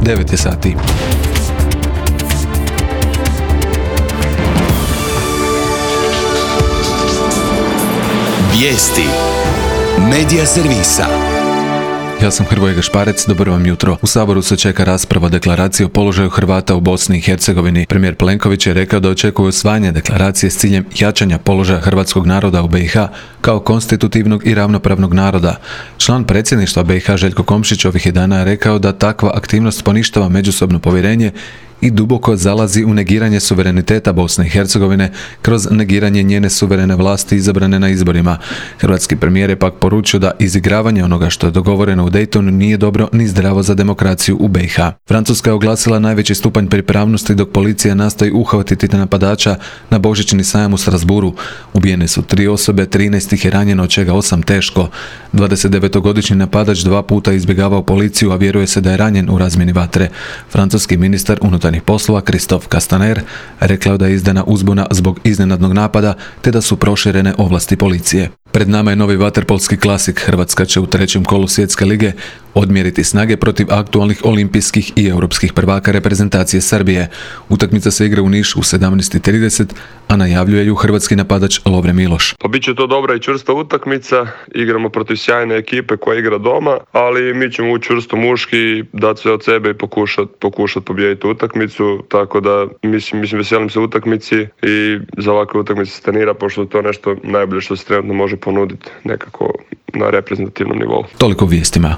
9 je sati. Vijesti Medija servisa. Ja sam Hrvoje Gašparec, dobro vam jutro. U Saboru se čeka rasprava deklaracije o položaju Hrvata u Bosni i Hercegovini. Premijer Plenković je rekao da očekuje usvajanje deklaracije s ciljem jačanja položaja hrvatskog naroda u BiH kao konstitutivnog i ravnopravnog naroda. Član predsjedništva BiH Željko Komšić ovih je dana rekao da takva aktivnost poništava međusobno povjerenje i duboko zalazi u negiranje suvereniteta Bosne i Hercegovine kroz negiranje njene suverene vlasti izabrane na izborima. Hrvatski premijer je pak poručio da izigravanje onoga što je dogovoreno u Daytonu nije dobro ni zdravo za demokraciju u BiH. Francuska je oglasila najveći stupanj pripravnosti dok policija nastoji uhvatiti napadača na božićni sajam u Strasburu. Ubijene su 3 osobe, 13 ih je ranjeno, od čega 8 teško. 29-godišnji napadač 2 puta izbjegavao policiju, a vjeruje se da je ranjen u razmjeni vatre. Francuski ministar unutarnjih poslova Christophe Castaner rekao da je izdana uzbuna zbog iznenadnog napada te da su proširene ovlasti policije. Pred nama je novi vaterpolski klasik. Hrvatska će u 3. kolu Svjetske lige odmjeriti snage protiv aktualnih olimpijskih i europskih prvaka reprezentacije Srbije. Utakmica se igra u Nišu u 17:30, a najavljuje ju hrvatski napadač Lovre Miloš. Pa bit će to dobra i čvrsta utakmica, igramo protiv sjajne ekipe koja igra doma, ali mi ćemo ući čvrsto muški, dati sve od sebe i pokušati pobijediti utakmicu, tako da mislim veselim se utakmici i za ovakve utakmice se trenira, pošto je to nešto najbolje što se trenutno može ponuditi nekako na reprezentativnom nivou. Toliko vijestima.